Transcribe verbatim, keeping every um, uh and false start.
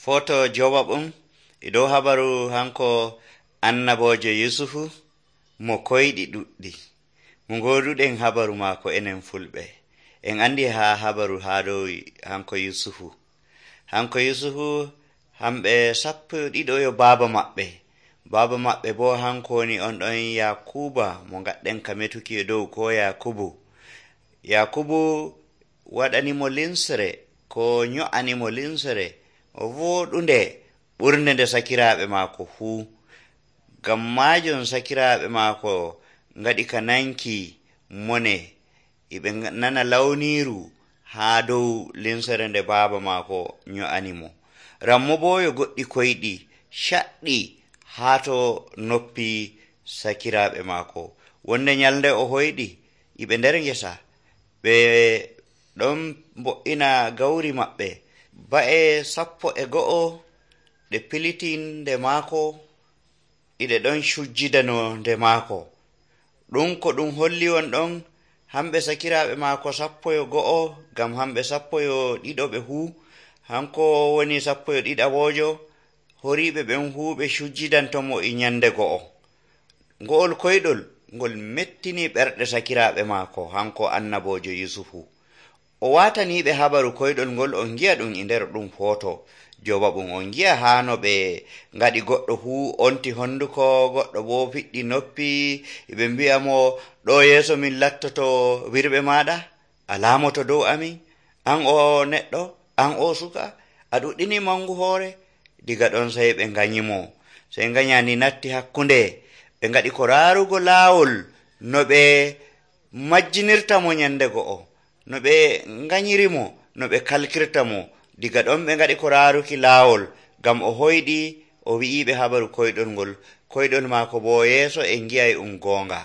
Foto jowaɓum e dow habaru hanko annabojo Yusufu mo koyɗi ɗuɗɗi. Mo ngoduɗen habaru maako enen fulɓe. En andi ha habaru ha dow hanko Yusufu. Hanko Yusufu hamɓe sappo ɗiɗo yo baaba maɓɓe. Baaba maɓɓe bo hanko woni on ɗon Yakuba mo gaɗɗen ka metuki e dow ko Yakubu. Yakubu waɗanimo linsere ko nyo'animo linsere o voɗunde ɓurde nde sakiraaɓe maako fuu. Ngam majum sakiraaɓe maako ngaɗi ka nanki mone iɓe nana lawniru haa dow linsere nde baaba maako nyo'animo. Rammo bo yo goɗɗi koyɗi shaɗɗi haa to noppi sakiraaɓe maako. Wonde nyalnde o hoyɗi iɓe nder ngesa ɓe ɗon mbo'ina gawri maɓɓe ba'e sappo e go'o ɗe piliti nde maako ɗiɗe ɗon cujjidano nde maako. Ɗum ko ɗum holli won ɗon hamɓe sakiraaɓe maako sappo yo go'o, ngam hamɓe sappo yo ɗiɗo ɓe fuu, hanko woni sappo yo ɗiɗaɓojo, horiɓe ɓen fuu ɓe cujjidantomo e nyande go'o. Ngo'ol koyɗol ngol mettini ɓerɗe sakiraaɓe maako hanko annabojo Yusufu. O wataniɓe habaru koyɗol ngol, on gi'a ɗum e nder ɗum foto jowaɓum. On gi'a haa no ɓe ngaɗi goɗɗo fuu onti honduko, goɗɗo bo fiɗɗi noppi, ɓe mbi'a mo ɗo yeeso min lattoto wirɓe maɗa, a laamoto dow amin, an o neɗɗo, an o suka, a ɗuɗɗini mangu hoore. Diga ɗon sey ɓe nganyimo, sey nganyani natti hakkunde. Ɓe ngaɗi ko raarugo laawol no ɓe majjinirta mo nyande go'o, no ɓe nganyirimo, no ɓe kalkirta mo. Diga ɗon ɓe ngaɗi ko raaruki laawol, ngam o hoyɗi o wi'iɓe habaru koyɗol ngol. Koyɗol maako bo yeeso en gi'ay um goonga.